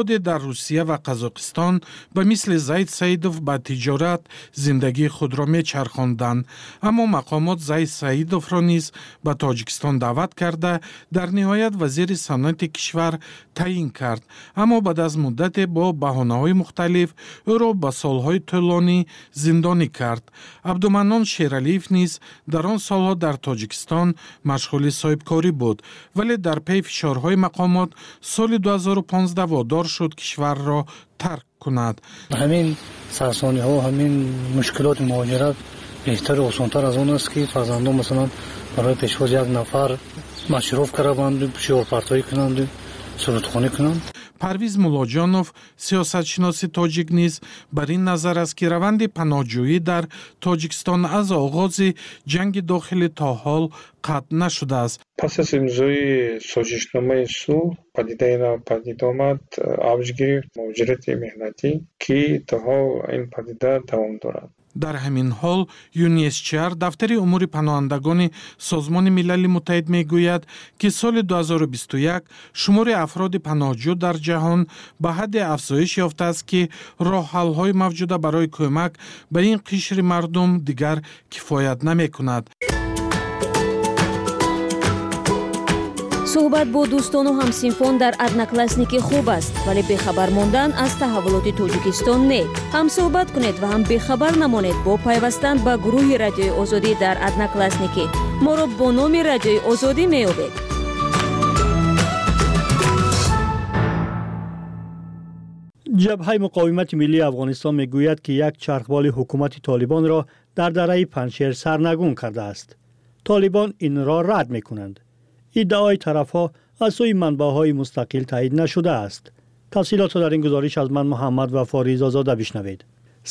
Дар Русия ва Қазоқистон ба мисли Зайд Саидов ба тиҷорат зиндагии худро мечархонданд, аммо мақомот Зайд Саидовро низ ба Тоҷикистон даъват карда, дар ниҳоят вазири саноати кишвар таъин кард, аммо баъд аз муддате бо баҳонаҳои мухталиф ӯро ба солҳои тӯлонӣ зиндонӣ кард. Абдуманнон Шералиев низ дар он солҳо дар Тоҷикистон машғули соҳибкорӣ буд, вале дар паи фишорҳои мақомот соли 2015 водор шуд кишварро тарк кунад. Ҳамин сарсониҳо, ҳамин мушкилоти муҳоҷират беҳтару осонтар аз он аст, ки фарзандон, масалан, барои пешвоз як нафар машруф караванду шиорпартоӣ кунанду сурудхонӣ кунанд. Парвиз Муллоҷонов, сиёсатшиноси тоҷик, низ бар ин назар аст, ки раванди паноҳҷӯӣ дар Тоҷикистон аз оғози ҷанги дохилӣ то ҳол қатъ нашудааст. Пас аз имзои созишномаи сулҳ падидаи нав падид омад, авҷ гирифт муҳоҷирати меҳнатӣ, ки то ҳол ин падида давом дорад. Дар ҳамин ҳол ЮНСЧР, дафтари умури паноҳандагони Созмони Милали Муттаҳид, мегӯяд, ки соли 2021 шумори афроди паноҳҷӯ дар ҷаҳон ба ҳадде афзоиш ёфтааст, ки роҳҳалҳои мавҷуда барои кӯмак ба ин қишри мардум дигар кифоят намекунад. Суҳбат бо дӯстону ҳамсинфон дар Одноклассники хуб аст, вале бехабар мондан аз таҳаввулоти Тоҷикистон не. Ҳам суҳбат кунед ва ҳам бехабар намонед бо пайвастан ба гурӯҳи Радиои Озодӣ дар Одноклассники. Моро бо номи Радиои Озодӣ меёбед. Ҷабҳаи муқовимати миллии Афғонистон мегӯяд, ки як чархболи ҳукумати Толибонро дар дараи Панҷшер сарнагун кардааст. Толибон инро рад мекунанд. Иддаои тарафҳо аз сӯи манбаъҳои мустақил таъйид нашудааст. Тафсилотро дар ин гузориш аз ман, Муҳаммад Вафо Ризозода, бишнавед.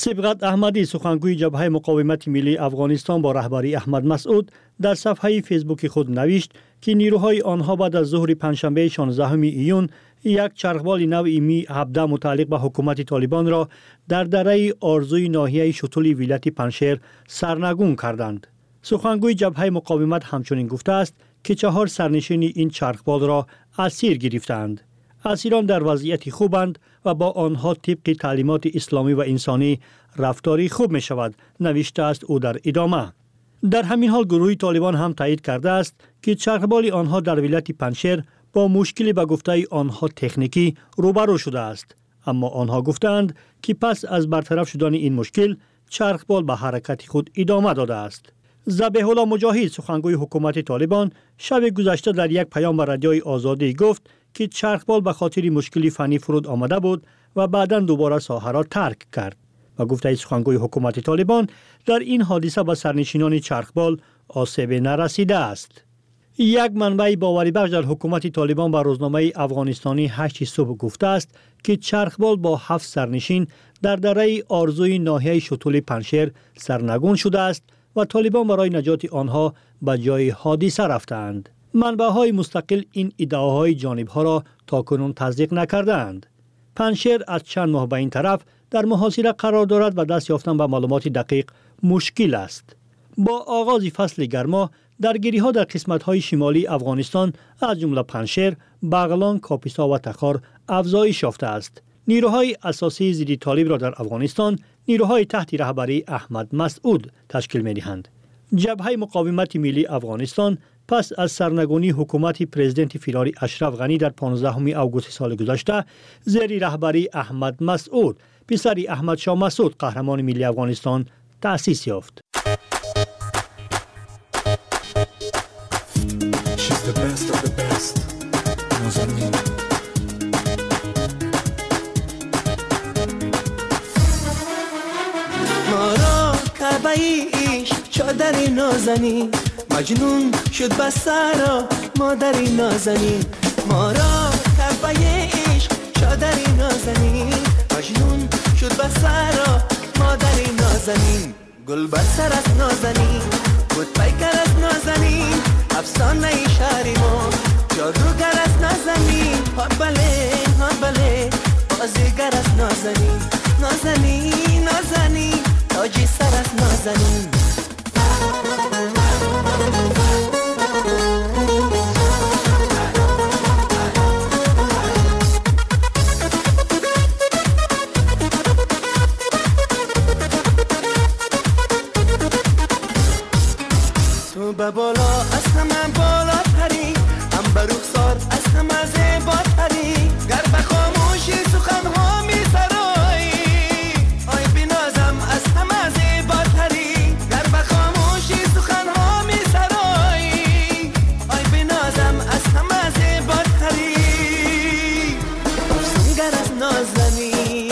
Сибғат Аҳмадӣ, сухангӯи Ҷабҳаи муқовимати миллии Афғонистон бо раҳбарии Аҳмад Масъуд, дар сафҳаи Фейсбуки худ навишт, ки нирӯҳои онҳо баъд аз зуҳри панҷшанбеи 16 июн як чархболи навъи Ми 17 мутааллиқ ба ҳукумати Толибонро дар дараи Орзуи ноҳияи Шутули вилояти Панҷшер сарнагун карданд. Сухангӯи Ҷабҳаи муқовимат ҳамчунин гуфтааст, ки чаҳор сарнишини ин чархболро асир гирифтаанд. Асирон дар вазъияти хубанд ва бо онҳо тибқи таълимоти исломӣ ва инсонӣ рафтори хуб мешавад, навиштааст ӯ дар идома. Дар ҳамин ҳол гурӯҳи Толибон ҳам таъйид кардааст, ки чархболи онҳо дар вилояти Панҷшер бо мушкиле ба гуфтаи онҳо техникӣ рӯбарӯ шудааст, аммо онҳо гуфтаанд, ки пас аз бартараф шудани ин мушкил чархбол ба ҳаракати худ идома додааст. Забеҳулло Муҷоҳид, сухангӯи ҳукумати Толибон, шаби гузашта дар як паём ба Радиои Озодӣ гуфт, ки чархбол ба хотири мушкили фаннӣ фуруд омада буд ва баъдан дубора соҳаро тарк кард. Ба гуфтаи сухангӯи ҳукумати Толибон, дар ин ҳодиса ба сарнишинони чархбол осебе нарасидааст. Як манбаи боварибахш дар ҳукумати Толибон ба рӯзномаи афғонистонӣ «Ҳашти субҳ» гуфтааст, ки чархбол бо ҳафт сарнишин дар дараи Орзуи ноҳияи Шутули Панҷшер сарнагун шудааст ва толибон барои наҷоти онҳо ба ҷои ҳодиса рафтаанд. Манбаъҳои мустақил ин иддаоҳои ҷонибҳоро то кунун тасдиқ накардаанд. Панҷшер аз чанд моҳ ба ин тараф дар муҳосира қарор дорад ва даст ёфтан ба маълумоти дақиқ мушкил аст. Бо оғози фасли гармо даргириҳо дар қисматҳои шимолии Афғонистон, аз ҷумла Панҷшер, Бағлон, Кописо ва Тахор афзоиш ёфтааст. Нирӯҳои асосии зидди толибро дар Афғонистон нирӯҳои таҳти раҳбарии Аҳмад Масъуд ташкил медиҳанд. Ҷабҳаи муқовимати миллии Афғонистон пас аз сарнагунии ҳукумати президенти фирорӣ Ашраф Ғанӣ дар 15 августи соли гузашта зери раҳбарии Аҳмад Масъуд, писари Аҳмадшоҳ Масъуд, қаҳрамони миллии Афғонистон, таъсис ёфт. She's the best of the best. Нозанин. مارا کعبه عشق چادر نازنین، مجنون شد به سرا مادر نازنین. مارا کعبه عشق چادر نازنین، مجنون شد به سرا مادر نازنین. گل بر سر از نازنین، بود پیکر از نازنین، افسانه شهر ما جادوگر از نازنین. ها بله، ها بله، بازیگر از نازنین، نازنین نازنین، تاجی سر از نازنین. به بالا از همه بالاتری، هم به رخسار از همه زیباتری، گر به خاموشی سخنها می سرایی، آی بنازم از همه زیباتری، گر به خاموشی سخنها می سرایی، آی بنازم از همه زیباتری، افسونگر از نازنین.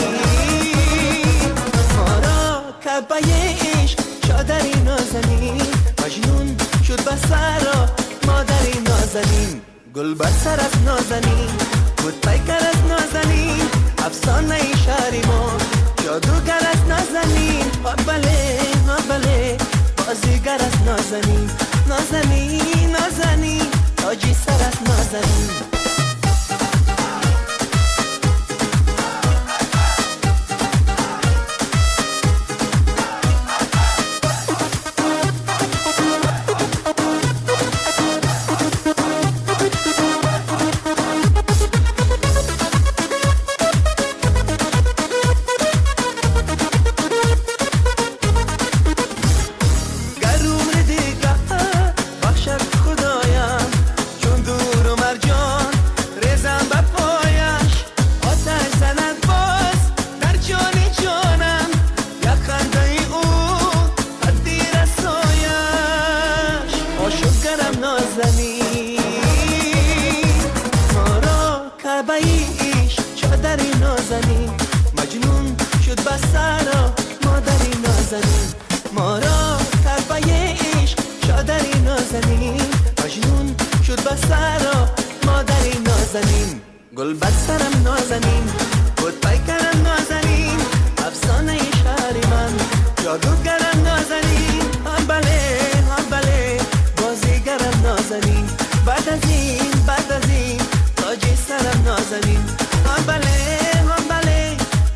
ما را کعبه عشق چادری نازنین، مجنون شد به سرا مادری نازنین، گل بر سر از نازنین، بود پیکر از نازنین، افسانه شهری ما جادوگر از نازنین، ها بله ها بله بازیگر از نازنین، نازنین نازنین تاجی سر از نازنین. گل بر سرم نازنین، بود پیکرم نازنین، افسانه شهری من جادوگرم نازنین، هم بله هم بله بازیگرم نازنین، بعد از این بعد از این تاجی سرم نازنین، هم بله هم بله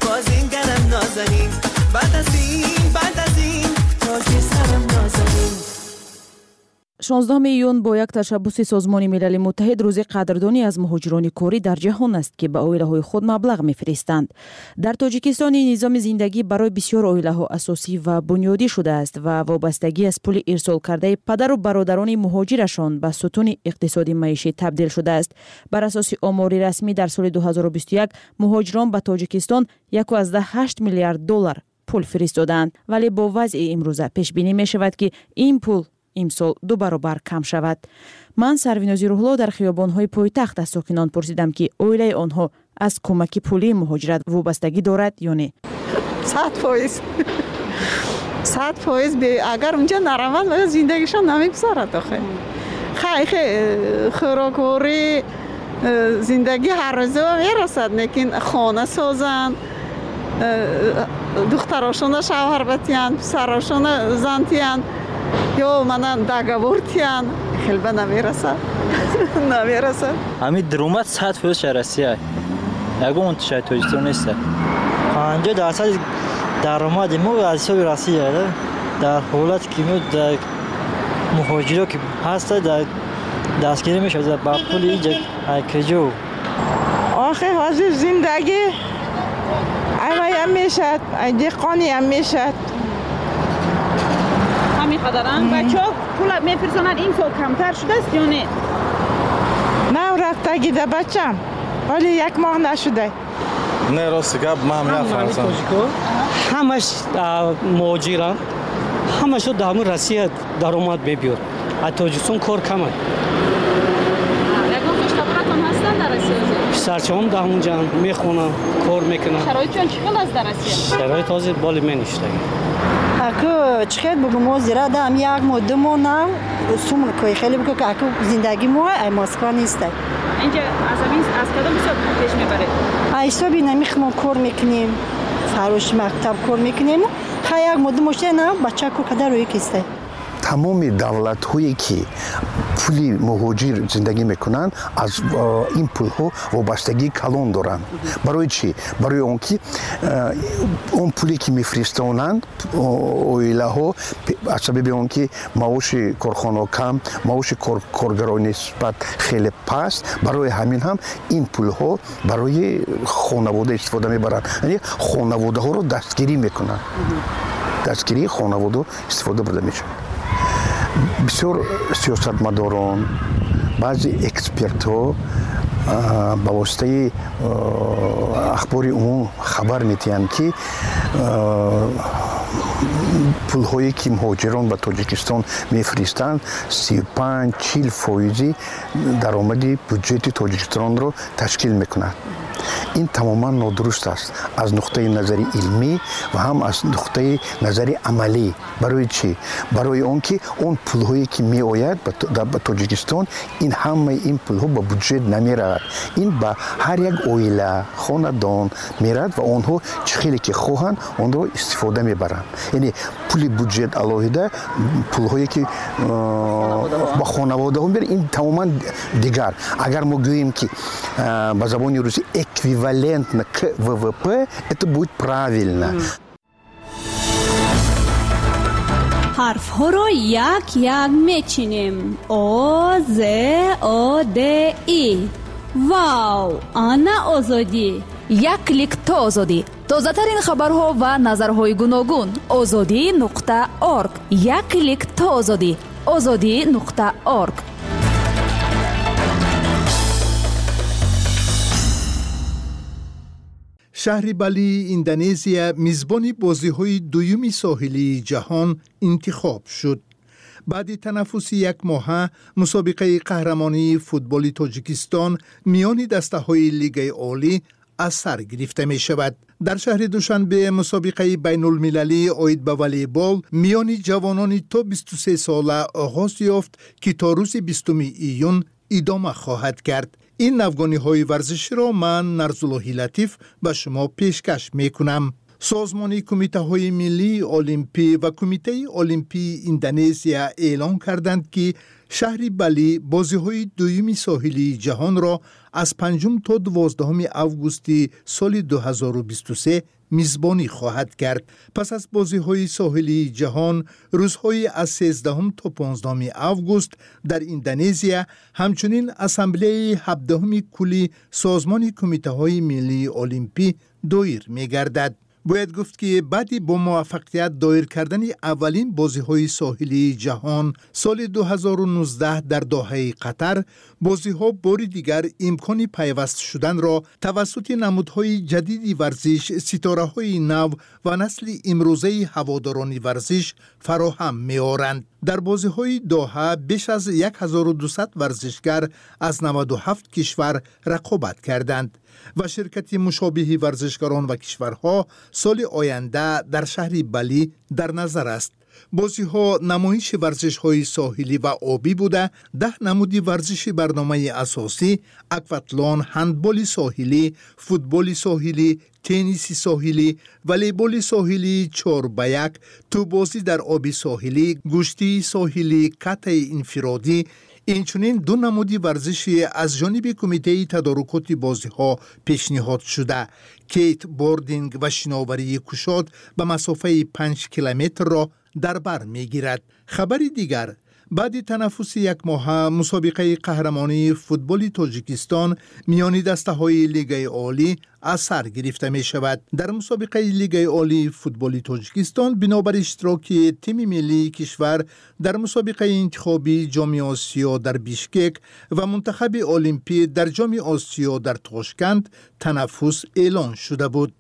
بازیگرم نازنین، بعد از این بعد از این تاجی سرم نازنین. 16 июн бо як ташаббуси Созмони Милали Муттаҳид рӯзи қадрдонӣ аз муҳоҷирони корӣ дар ҷаҳон аст, ки ба оилаҳои худ маблағ мефиристанд. Дар Тоҷикистон ин низоми зиндагӣ барои бисёр оилаҳо асосӣ ва бунёдӣ шудааст ва вобастагӣ аз пули ирсолкардаи падару бародарони муҳоҷирашон ба сутуни иқтисоди маишӣ табдил шудааст. Бар асоси омори расмӣ дар соли 2021 муҳоҷирон ба Тоҷикистон 1,8 миллиард доллар пул фиристодаанд, вале бо вазъи имрӯза пешбинӣ мешавад, ки ин пул имсол 2 баробар кам шавад. Ман Сарвинози Рӯҳло дар хиёбонҳои пойтахт аз сокинон пурсидам, ки оилаи онҳо аз кӯмаки пулии муҳоҷират вобастагӣ дорад ё не. 100%. 100% агар унҷа нараванд, зиндагишон намегузарад. Охе хай хӯрокворӣ зиндагӣ ҳар рӯза мерасад, лекин хона созанд, духтарошона шавҳар батиянд, писарошона зан тиянд, ё манан договор тиянд, хелба намерасад. Намерасад. Ҳамин даромад 100% шаҳр Россия. Ягон шаҳри Тоҷикистон нест. 50% даромади мо аз ҳисоби Россия. Дар ҳолате ки мо дар муҳоҷиро ки ҳаста дар дастгирӣ мешавад ба пули иҷа киҷо. Охе ҳозир зиндагӣ аваям мешад, деҳқониям мешад. Ҳамин қадарам бачаҳо пул мефирсонанд, ин сол камтар шудааст ё не? Нав рафтагида бачам, ҳоле як моҳ нашуда. Не, рости гап, ман нафарзам. Ҳамаш муҳоҷиранд, ҳамашо дар ҳамин Россия даромад мебиёд. Аз Тоҷикистон кор камад. Ягон хештаборатон ҳастанд дар Россия? Писарчаҳом дар ҳамонҷаанд, мехонанд, кор мекунанд. Шароитшон чӣ хел аст дар Россия? Шароит ҳозир боли меништагӣ. Аку чӣ хел бугум, ҳозира дам як моҳ, ду моҳ нав сум кои хеле бугу, ки аку зиндагӣ мо ай Москва нестай. Инҷа аз ҳамин аз кадом ҳисоб пеш мебаред? Ай ҳисоби намих мо кор мекунем, фароши мактаб кор мекунем. Хай як моҳ, ду моҳ шуда нав бача кор када рӯи кистай. Тамоми давлатҳое ки пули муҳоҷир зиндагӣ мекунанд, аз ин пулҳо вобастагии калон доранд. Барои чӣ? Барои он ки он пуле ки мефиристонанд оилаҳо, аз сабаби он ки маоши корхонаҳо кам, маоши коргаро нисбат хеле паст, барои ҳамин ҳам ин пулҳо барои хонавода истифода мебаранд. Яъне хонаводаҳоро дастгирӣ мекунанд. Дастгирии хонавода истифода бурда мешавад. Бисёр сиёсатмадорон, баъзе экспертҳо ба воситаи ахбори умум хабар медиҳанд, ки пулҳое, ки муҳоҷирон ба Тоҷикистон мефиристанд, 35-40 фоизи даромади буҷети Тоҷикистонро ташкил мекунад. Ин тамоман нодуруст аст аз нуқтаи назари илмӣ ва ҳам аз нуқтаи назари амалӣ. Барои чӣ? Барои он ки он пулҳое, ки меояд ба Тоҷикистон, ин ҳамаи ин пулҳо ба буҷет намеравад. Ин ба ҳар як оила, хонадон меравад ва онҳо чӣ хеле ки хоҳанд, онро истифода мебаранд. Яъне пули буҷет алоҳида, пулҳое, ки ба хонаводаҳо меравад, ин тамоман дигар. Агар мо гӯем, ки ба забони русӣ эквивалентно к ВВП, это будет правильно. Ҳарфҳоро як як мечинем: О, З, О, Д, И. Вау, ана Озодӣ! Як клик то озодӣ. Тозатарин хабарҳо ва назарҳои гуногун. Озодӣ.орг. Як клик то озодӣ. Озодӣ.орг. Шаҳри Балии Индонезия мизбони бозиҳои дуюми соҳилии ҷаҳон интихоб шуд. Баъди танаффуси якмоҳа мусобиқаи қаҳрамонии футболи Тоҷикистон миёни дастаҳои Лигаи Олӣ аз сар гирифта мешавад. Дар шаҳри Душанбе мусобиқаи байнулмилалӣ оид ба волейбол миёни ҷавонони то 23 сола оғоз ёфт, ки то рӯзи 20 июн идома хоҳад кард. Ин навгониҳои варзиширо ман, Нарзуллоҳи Латиф, ба шумо пешкаш мекунам. Созмони кумитаҳои миллии олимпӣ ва Кумитаи олимпии Индонезия эълон карданд, ки шаҳри Балӣ бозиҳои дуюми соҳилии ҷаҳонро аз 5 то 12 августи соли 2023 мизбонӣ хоҳад кард. Пас аз бозиҳои соҳилии ҷаҳон, рӯзҳои аз 13 то 15 август дар Индонезия ҳамчунин ассамблеяи 17-уми кулли Созмони кумитаҳои миллии олимпӣ доир мегардад. Бояд гуфт, ки баъди бо муваффақият доир кардани аввалин бозиҳои соҳилии ҷаҳон соли 2019 дар Доҳаи Қатар, бозиҳо бори дигар имкони пайваст шуданро тавассути намудҳои ҷадиди варзиш, ситораҳои нав ва насли имрӯзаи ҳаводорони варзиш фароҳам меоранд. Дар бозиҳои Доҳа беш аз 1200 варзишгар аз 97 кишвар рақобат карданд ва ширкати мушобиҳи варзишгарон ва кишварҳо соли оянда дар шаҳри Балӣ дар назар аст. Бозиҳо намоиши варзишҳои соҳилӣ ва обӣ буда, 10 намуди варзиши барномаи асосӣ: акватлон, ҳандболи соҳилӣ, футболи соҳилӣ, тенниси соҳилӣ, волейболи соҳилии 4 ба 1, тӯббозӣ дар оби соҳилӣ, гӯштии соҳилӣ, катаи инфиродӣ, инчунин ду намуди варзиши аз ҷониби кумитаи тадорукоти бозиҳо пешниҳод шуда, кейтбординг ва шиноварии кушод ба масофаи 5 километрро дар бар мегирад. Хабари дигар: баъди танаффуси якмоҳа мусобиқаи қаҳрамонии футболи Тоҷикистон миёни дастаҳои Лигаи Олӣ аз сар гирифта мешавад. Дар мусобиқаи Лигаи Олии футболи Тоҷикистон бинобар иштироки тими миллии кишвар дар мусобиқаи интихобии Ҷоми Осиё дар Бишкек ва мунтахаби олимпӣ дар Ҷоми Осиё дар Тошканд танаффус эълон шуда буд.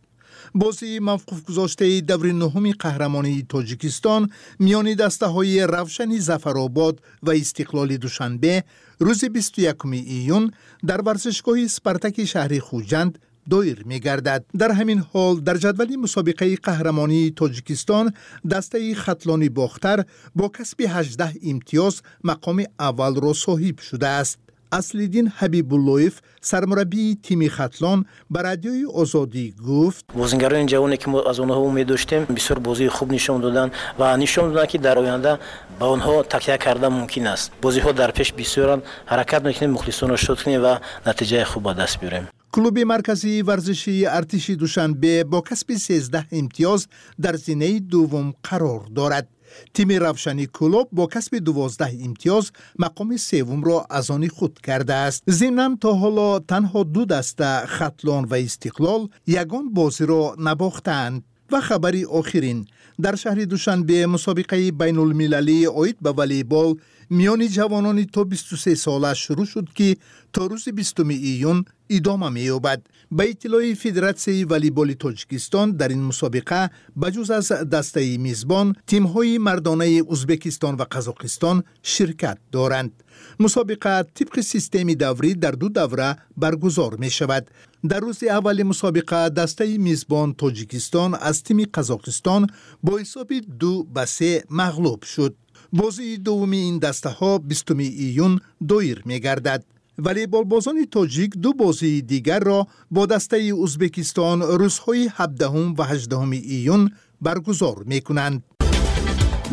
Бозии мавқуфгузоштаи даври нуҳуми қаҳрамонии Тоҷикистон миёни дастаҳои Равшани Зафаробод ва Истиқлоли Душанбе рӯзи 21 июн дар варзишгоҳи Спартаки шаҳри Хуҷанд доир мегардад. Дар ҳамин ҳол, дар ҷадвали мусобиқаи қаҳрамонии Тоҷикистон дастаи Хатлони Бохтар бо касби 18 имтиёз мақоми аввалро соҳиб шудааст. Аслиддин Ҳабибуллоев, сармураббии тими Хатлон, ба Радиои Озодӣ гуфт: Бозингарони ҷавоне, ки мо аз онҳо умед доштем, бисёр бозии хуб нишон доданд ва нишон доданд, ки дар оянда ба онҳо такя кардан мумкин аст. Бозиҳо дар пеш бисёранд, ҳаракат мекунем, мухлисонро шод кунем ва натиҷаи хуб ба даст биёрем. Клуби марказии варзишии Артиши Душанбе бо касби 13 имтиёз дар зинаи дуввум қарор дорад. Тими Равшани Кӯлоб бо касби 12 имтиёз мақоми севумро аз они худ кардааст. Зимнан, то ҳоло танҳо ду даста, Хатлон ва Истиқлол, ягон бозиро набохтаанд. Ва хабари охирин: дар шаҳри Душанбе мусобиқаи байнулмилалии оид ба волейбол миёни ҷавонони то 23 сола шурӯъ шуд, ки то рӯзи 20 июн идома меёбад. Ба иттилои Федератсияи волейболи Тоҷикистон, дар ин мусобиқа ба ҷуз аз дастаи мизбон тимҳои мардонаи Узбекистон ва Қазоқистон ширкат доранд. Мусобиқа тибқи системи даврӣ дар ду давра баргузор мешавад. Дар рӯзи аввали мусобиқа дастаи мизбон Тоҷикистон аз тими Қазоқистон бо ҳисоби 2-3 мағлуб шуд. Бозии дуввуми ин дастаҳо 20 июн доир мегардад. Волейболбозони тоҷик ду бозии дигарро бо дастаи Узбекистон рӯзҳои 17 ва 18 июн баргузор мекунанд.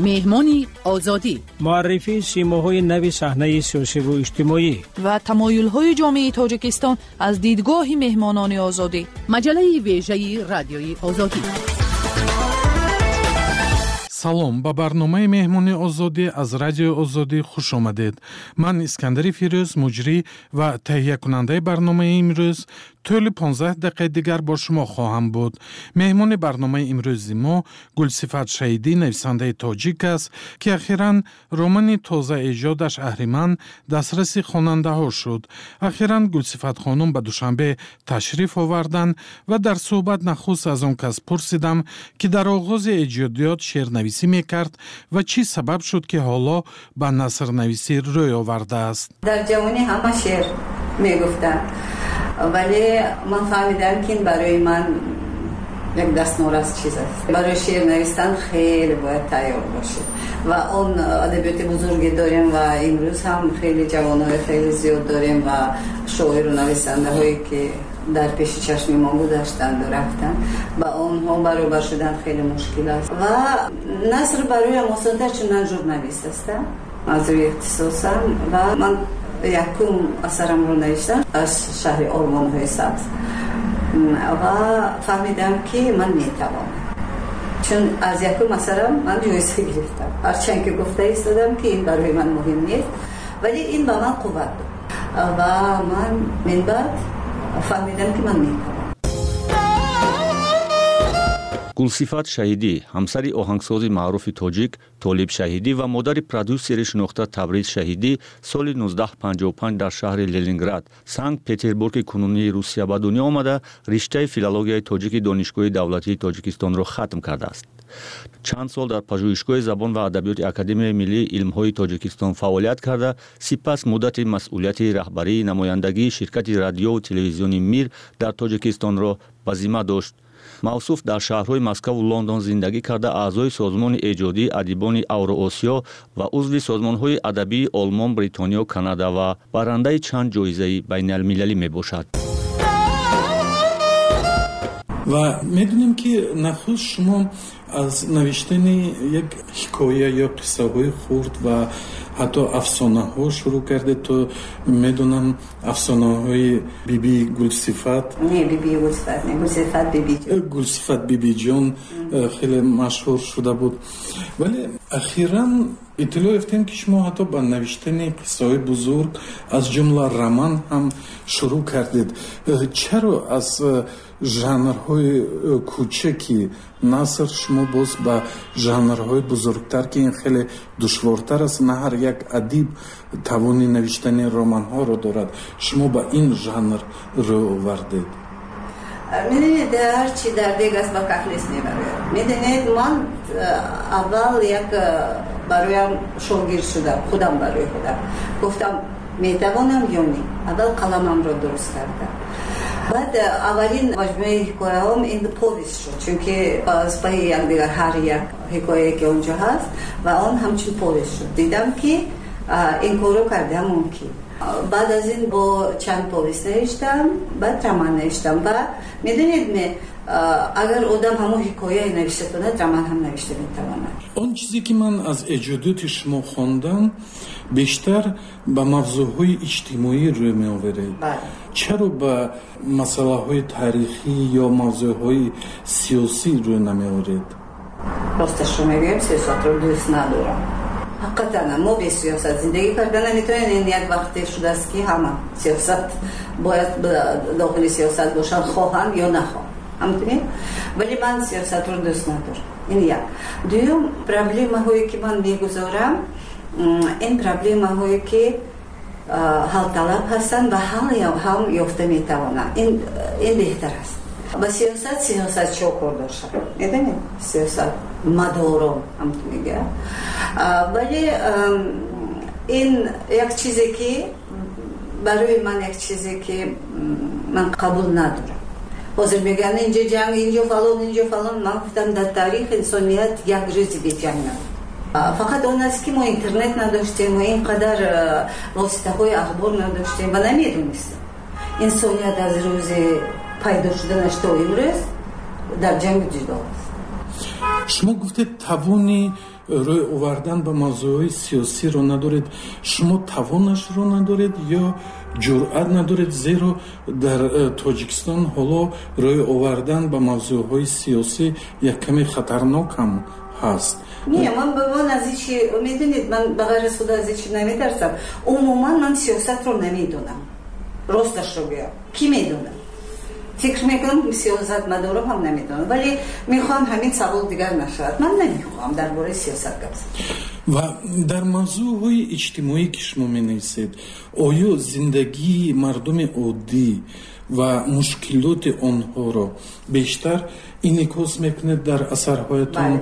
Меҳмони Озодӣ. Муаррифии симоҳои нави саҳнаи сиёсиву иҷтимоӣ ва тамоюлҳои ҷомеаи Тоҷикистон аз дидгоҳи меҳмонони Озодӣ. Маҷаллаи вежаи Радиои Озодӣ. Салом, ба барномаи Меҳмони Озодӣ аз Радиои Озодӣ хуш омадед. Ман Искандари Фирӯз, муҷрӣ ва таҳиякунандаи барномаи имрӯз, тӯли 15 дақиқаи дигар бо шумо хоҳам буд. Меҳмони барномаи имрӯзи мо Гулсифат Шаҳидӣ, нависандаи тоҷик аст, ки ахиран романи тозаэҷодаш «Аҳриман» дастраси хонандаҳо шуд. Ахиран Гулсифат хонум ба Душанбе ташриф оварданд ва дар суҳбат нахуст аз он кас пурсидам, ки дар оғози эҷодиёт шеърнависӣ мекард ва чӣ сабаб шуд, ки ҳоло ба насрнависӣ рӯй овардааст. Дар ҷавонӣ ҳама шеър мегуфтанд, вале ман фаҳмидам, ки ин барои ман як дастнорас чиз аст. Барои шеър навистан хеле бояд тайёр бошед ва он адабиёти бузурге дорем ва имрӯз ҳам хеле ҷавонҳои хеле зиёд дорем ва шоиру нависандаҳое, ки дар пеши чашми мо гузаштанду рафтанд, ба онҳо баробар шудан хеле мушкил аст. Ва наср бароям осонтар, чун ман журналист ҳастам аз рӯи ихтисосам ва ман якум асарамро навиштам аз шаҳри Ормонҳои сабз ва фаҳмидам, ки ман метавонам, чун аз якум асарам ман ҷоиза гирифтам. Ҳарчанд ки гуфта истодам, ки ин барои ман муҳим нест, вале ин ба ман қувват дод ва ман минбаъд фаҳмидам, ки ман метавонам. Гулсифат Шаҳидӣ ҳамсари оҳангсози маъруфи тоҷик Толиб Шаҳидӣ ва модари продюсери шинохта Табриз Шаҳидӣ соли 1955 дар шаҳри Ленинград, Санкт Петербурги кунунии Русия, ба дунё омада, риштаи филологияи тоҷики Донишгоҳи давлатии Тоҷикистонро хатм кардааст. Чанд сол дар Пажӯҳишгоҳи забон ва адабиёти Академияи миллии илмҳои Тоҷикистон фаъолият карда, сипас муддати масъулияти раҳбарии намояндагии ширкати радиову телевизиони «Мир» дар Тоҷикистонро ба зимма дошт. Мавсуф дар шаҳрҳои Москаву Лондон зиндагӣ карда, аъзои Созмони эҷодии адибони Авроосиё ва узви созмонҳои адабии Олмон, Бритониё, Канада ва барандаи чанд ҷоизаи байналмилалӣ мебошад. Ва медонем, ки нахуст шумо аз навиштани як ҳикоя ё қиссаҳои хурд ва ҳатто афсонаҳо шурӯъ кардед. То медонам, афсонаҳои Биби Гулсифат. Не, Биби Гулсифат не, Гулсифат Бибиҷон. Гулсифат Бибиҷон хеле машҳур шуда буд, вале ахиран иттилоъ ёфтем, ки шумо ҳатто ба навиштани қиссаҳои бузург, аз ҷумла роман ҳам шурӯъ кардед. Чаро аз жанрҳои кӯчаки наср шумо боз ба жанрҳои бузургтар, ки ин хеле душвортар аст, на ҳар як адиб тавони навиштани романҳоро дорад, шумо ба ин жанр рӯ овардед? Медонед, ҳарчи дар дег аст, ба кафлес мебарояд. Медонед, ман аввал як бароям шогирд шудам, худам барои худам гуфтам, метавонам ё не. Аввал қаламамро дуруст кардам, баъд аввалин маҷмӯаи ҳикояҳом ин повесть шуд, чунки аз паи якдигар ҳар як ҳикояе, ки онҷо ҳаст, ва он ҳамчун повесть шуд. Дидам, ки ин корро кардам мумкин. Баъд аз ин бо чанд повесть навиштам, баъд роман навиштам. Ва медонед ме, агар одам ҳамон ҳикояе навишта кунад, роман ҳам навишта метавонад. Он чизе, ки ман аз эҷодиёти шумо хондам, бештар ба мавзӯъҳои иҷтимоӣ рӯй меоваред. Чаро ба масъалаҳои таърихӣ ё мавзӯъҳои сиёсӣ рӯй намеоред? Росташро мегӯем, сиёсатро дӯст надорам. Ҳақиқатан мо бе сиёсат зиндагӣ карда наметавонем. Ин як вақте шудааст, ки ҳама сиёсат бояд дохили сиёсат бошанд, хоҳанд ё нахоҳанд. Ҳамтунед, вале ман сиёсатро дӯст надорам. Ин як. Дуюм, проблемаҳое ки ман мегузорам, ин проблемаҳое ки ҳалталаб ҳастанд ва ҳал ёфта метавонанд, ин беҳтар аст. Ба сиёсат сиёсатчиҳо кор доштанд, медонед, сиёсат мадорон ҳамту мегӯяд. Вале ин як чизе ки барои ман, як чизе ки ман қабул надорам. Ҳозир мегӯянд, инҷо ҷанг, инҷо фалон, инҷо фалон. Ман гуфтам, дар таърихи инсоният як рӯзи беҷанг набуд. Фақат он аст ки мо интернет надоштем ва ин қадар воситаҳои ахбор надоштем ва намедонистем. Инсоният аз рӯзи пайдо шуданаш то имрӯз дар ҷангу ҷидол аст. Шумо гуфтед, тавони рӯй овардан ба мавзӯъҳои сиёсиро надоред. Шумо тавонашро надоред ё ҷуръат надоред? Зеро дар Тоҷикистон ҳоло рӯй овардан ба мавзӯъҳои сиёсӣ як каме хатарнок ҳам ҳаст. Не, ман аз ҳечи, медонед, ман ба ғайр аз худо аз ҳечи наметарсам. Умуман ман сиёсатро намедонам, росташро гӯям, кӣ медонад? Фикр мекунам, сиёсатмадорам ҳам намедонам, вале мехоҳам ҳамин савол дигар нашавад. Ман намехоҳам дар бораи сиёсат гап занам. Ва дар мавзӯъҳои иҷтимоӣ, ки шумо менависед, оё зиндагии мардуми оддӣ ва мушкилоти онҳоро бештар инъикос мекунед дар асарҳоятон?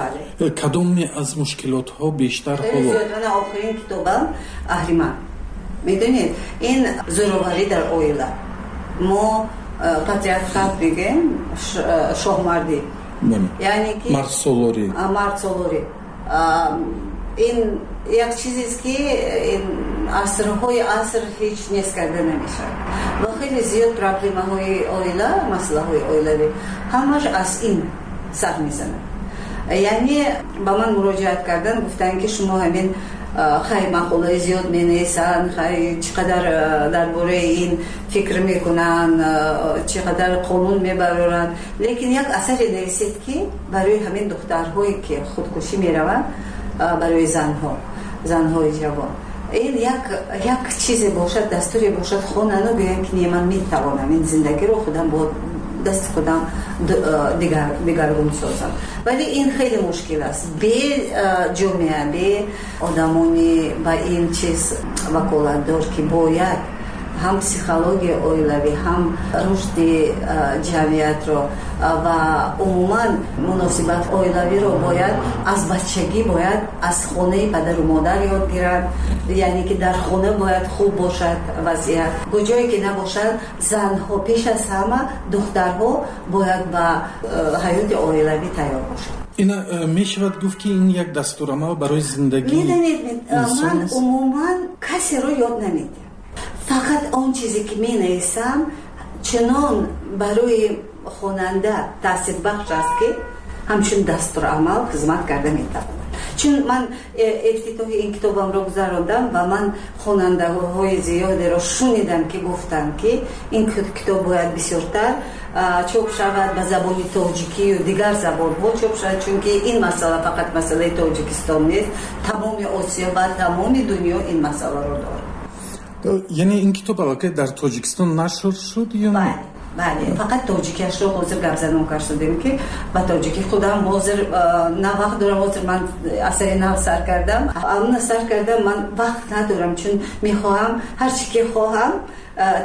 Бале. Кадоме аз мушкилотҳо бештар ҳоло? Зиёд. Охирин китобам «Аҳриман», медонед, ин зӯроварӣ дар оила. Мо патриархат мегӯем, шоҳмардӣ, яъне ки мардсолорӣ. Мардсолорӣ ин як чизест, ки асрҳои аср ҳеҷ нест карда намешавад. Ва хеле зиёд проблемаҳои оила, масъалаҳои оилавӣ ҳамаш аз ин сар мезанад. Яъне ба ман муроҷиат кардан, гуфтанд, ки шумо ҳамин хай мақолаи зиёд менависанд, хай чӣ қадар дар бораи ин фикр мекунанд, чӣ қадар қонун мебароранд, лекин як асаре нависед, ки барои ҳамин духтарҳое ки худкушӣ мераванд, барои занҳо, занҳои ҷавон, ин як чизе бошад, дастуре бошад, хонану гӯянд, ки не, ман метавонам ин зиндагиро худам бо дасти худам дигаргун созам. Вале ин хеле мушкил аст. Бе ҷомеа, бе одамони ба ин чиз ваколатдор, ки бояд ҳам психологияи оилавӣ, ҳам рушди ҷамъиятро ва умуман муносибат оилавиро бояд аз бачагӣ, бояд аз хонаи падару модар ёд гиранд. Яъне ки дар хона бояд хуб бошад вазъият. Куҷое ки набошад, занҳо, пеш аз ҳама духтарҳо бояд ба ҳаёти оилавӣ тайёр бошанд. Ина мешавад гуфт, ки ин як дастурамал барои зиндагӣ? Медонед, ман умуман касеро ёд намедиҳам. Фақат он чизе ки менависам, чунон барои хонанда таъсирбахш аст, ки ҳамчун дастурамал хизмат карда метавонад. Чун ман ифтитоҳи ин китобамро гузарондам ва ман хонандаҳои зиёдеро шунидам, ки гуфтанд, ки ин китоб бояд бисёртар чоп шавад, ба забони тоҷикию дигар забонҳо чоп шавад, чунки ин масъала фақат масъалаи Тоҷикистон нест, тамоми Осиё ва тамоми дунё ин масъаларо дорад. Яъне ин китоб аллакай дар Тоҷикистон нашр шуд ё не? Бале, фақат тоҷикиашро ҳозир гапзанон кардем, ки ба тоҷикӣ худам ҳозир на вақт дорам. Ҳозир ман асари нав сар кардам, амна сар кардам, ман вақт надорам, чун мехоҳам ҳарчи ки хоҳам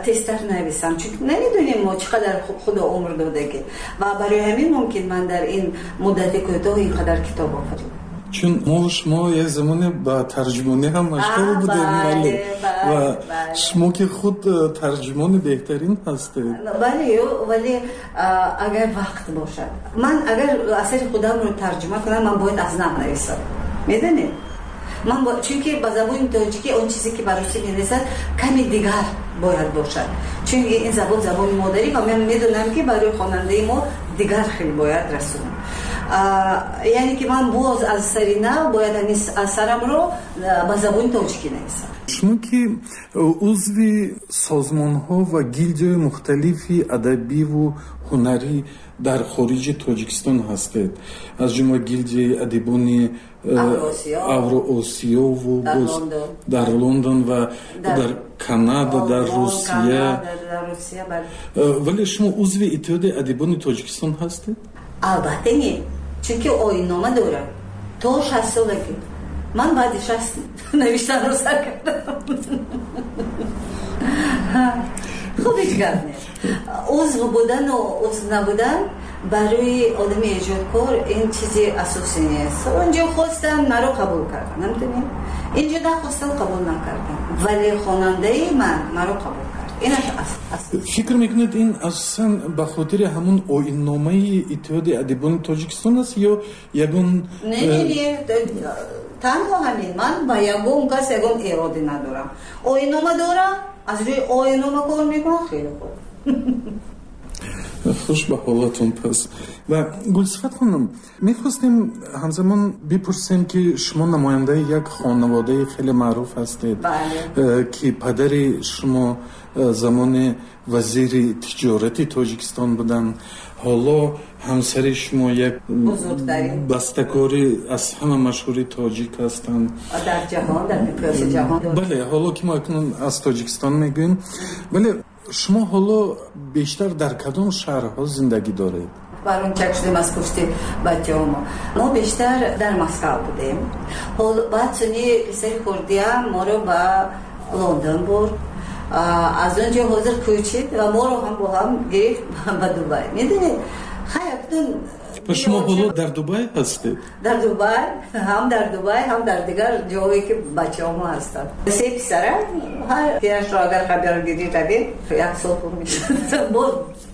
тезтар нависам, чун намедонем мо чӣ қадар худо умр додагӣ, ва барои ҳамин мумкин ман дар ин муддати кӯтоҳ ин қадар китоб офаридам. Чун мо шумо як замоне ба тарҷумонӣ ҳам машғул будем, бале, ва шумо ки худ тарҷумони беҳтарин ҳастед. Бале, вале агар вақт бошад, ман агар асари худамро тарҷума кунам, ман бояд аз нав нависам, медонед, ман чунки ба забони тоҷикӣ он чизе ки ба русӣ менависад, каме дигар бояд бошад, чунки ин забон забони модарӣ ва ман медонам, ки барои хонандаи мо дигар хел бояд расонам. Яъне ки ман боз аз сари нав бояд ҳамин асарамро ба забони тоҷикӣ нависам. Шумо ки узви созмонҳо ва гилдияҳои мухталифи адабиву ҳунарӣ дар хориҷи Тоҷикистон ҳастед, аз ҷумла гилдияи адибони Авроосиёву дар Лондон ва дар Канада, дар Русия, вале шумо узви Иттиҳоди адибони Тоҷикистон ҳастед? Албатта не, чунки оиннома дорад то 60 солагӣ. Ман баъди 60 навиштанро сар кардам. Хуб, ҳеҷ гап нест. Узв будану узв набудан барои одами эҷодкор ин чизи асосӣ нест. Онҷо хостан, маро қабул кардан, намедонем, инҷо нахостан, қабул накардан, вале хонандаи ман маро қабул кард. Инаш. Фикр мекунед, ин асосан ба хотири ҳамон оинномаи Иттиҳоди адибони Тоҷикистон аст ё ягон? Не, не, не, танҳо ҳамин. Ман ба ягон кас ягон эроде надорам. Оиннома дорам, аз рӯи оиннома кор мекунам. Хеле хуб. Хуш ба ҳолатон пас. Ва Гулсифат хонум, мехостем ҳамзамон бипурсем, ки шумо намояндаи як хонаводаи хеле маъруф ҳастед, ки падари шумо замоне вазири тиҷорати Тоҷикистон буданд, ҳоло ҳамсари шумо як бастакори аз ҳама машҳури тоҷик ҳастанд. Дар ҷаҳон, дар миқёси ҷаҳон. Бале, ҳоло ки мо акнун аз Тоҷикистон мегӯем. Вале шумо ҳоло бештар дар кадом шаҳрҳо зиндагӣ доред? Барончак шудем аз пушти бачаҳомо. Мо бештар дар Москав будем. Баъд суни писари хурдиам моро ба Лондон бурд. Аз он ҷо ҳозир кӯчид ва моро ҳам бо ҳам гирифт ба Дубай. Медонед, хай, акнун. Ва шумо ҳоло дар Дубай ҳастед? Дар Дубай, ҳам дар Дубай, ҳам дар дигар ҷоҳое ки бачаҳомо ҳастанд. Се писара, ҳар яшро агар хабаргирӣ равед, як сол пур мешавад, боз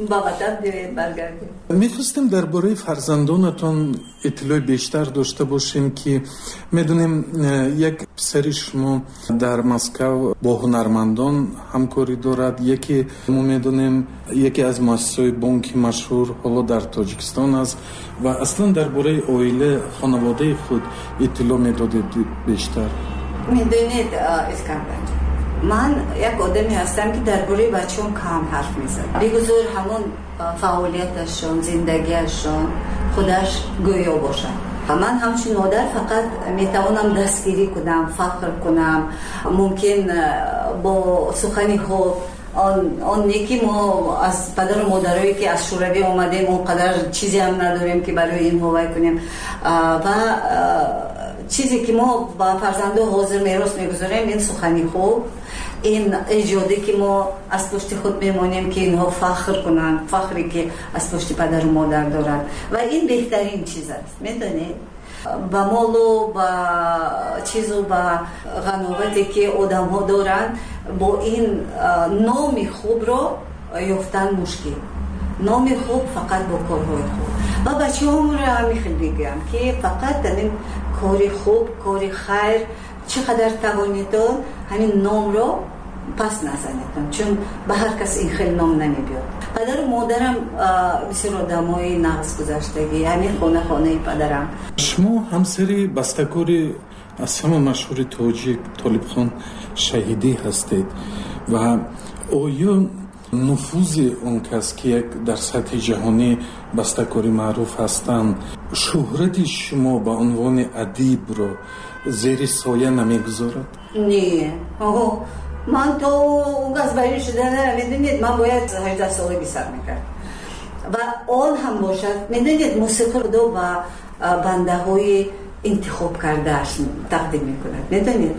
ба ватан биёед, баргардем. Мехостем дар бораи фарзандонатон иттилои бештар дошта бошем, ки медонем, як писари шумо дар Москав бо ҳунармандон ҳамкорӣ дорад, яке мо медонем, яке аз муассисаҳои бонки машҳур ҳоло дар Тоҷикистон аст. Ва аслан дар бораи оила, хонаводаи худ иттилоъ медодед бештар. Медонед, Искандар, ман як одаме ҳастам, ки дар бораи бачаҳом кам ҳарф мезанам. Бигузор ҳамон фаъолияташон, зиндагиашон худаш гӯё бошад. Ман ҳамчун модар фақат метавонам дастгирӣ кунам, фахр кунам, мумкин бо сухани хуб. Он не ки мо аз падару модарое ки аз Шӯравӣ омадем, он қадар чизе ҳам надорем, ки барои инҳо вай кунем. Ва чизе ки мо ба фарзандо ҳозир мерос мегузорем, ин сухани хуб, ин эҷоде ки мо аз пушти худ мемонем, ки инҳо фахр кунанд, фахре ки аз пушти падару модар доранд. Ва ин беҳтарин чиз аст, медонед, ба молу, ба чизу, ба ғановате ки одамҳо доранд, бо ин номи хубро ёфтан мушкил. Номи хуб фақат бо корҳои хуб. Ва бачаҳомро ҳамин хел мегӯям, ки фақат ҳамин кори хуб, кори хайр чӣ қадар тавонедон, ҳамин номро пас назанедон, чун ба ҳар кас ин хел ном намебиёд. Падару модарам бисёр одамои нағз гузаштагӣ. Ҳамин хона, хонаи падарам. Шумо ҳамсари бастакори аз ҳама машҳури тоҷик Толибхон Шаҳидӣ ҳастед. Ва оё нуфузи он кас, ки як дар сатҳи ҷаҳонӣ бастакори маъруф ҳастанд, шӯҳрати шумо ба унвони адибро зери соя намегузорад? Не, ман то он кас барин шудана, медонед, ман бояд 18 солагӣ сар мекард. Ва он ҳам бошад, медонед, мусиқӣ Худо ба бандаҳои интихоб кардааш тақдим мекунад. Медонед,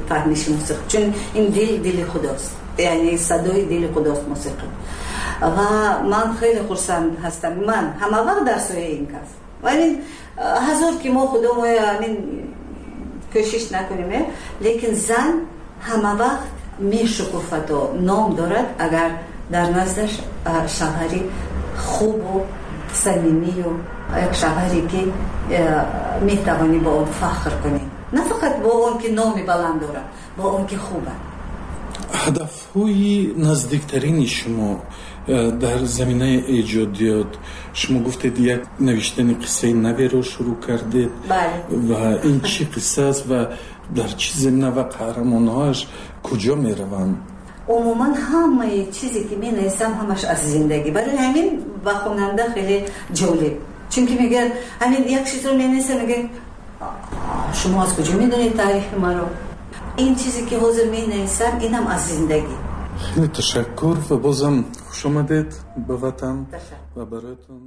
фаҳмиши мусиқӣ, чун ин дил, дили худост, яъне садои дили худост мусиқӣ. Ва ман хеле хурсанд ҳастам, ман ҳама вақт дар сояи ин кас. Вале ҳазор ки мо худомоя ҳамин кӯшиш накунем, лекин зан ҳама вақт мешукуфаду ном дорад, агар дар наздаш шавҳари хубу самимию як шавҳаре ки метавонӣ бо он фахр кунӣ, на фақат бо он ки номи баланд дорад, бо он ки хуб аст. Ҳадафҳои наздиктарини шумо дар заминаи эҷодиёт, шумо гуфтед, як навиштани қиссаи наверо шурӯъ кардед. Ва ин чӣ қисса аст ва дар чӣ замина ва қаҳрамонҳояш куҷо мераванд? Умуман, ҳамаи чизе ки менависам, ҳамаш аз зиндагӣ. Барои ҳамин ба хонанда хеле ҷолиб, чунки мегӯяд, ҳамин як чизро менависам, мегӯяд: «Шумо аз куҷо медонед таърихи маро?» Ин чизе ки ҳозир менависам, инам аз зиндагӣ. Хеле ташаккур ва бозам хуш омадед ба ватан ва бароятон.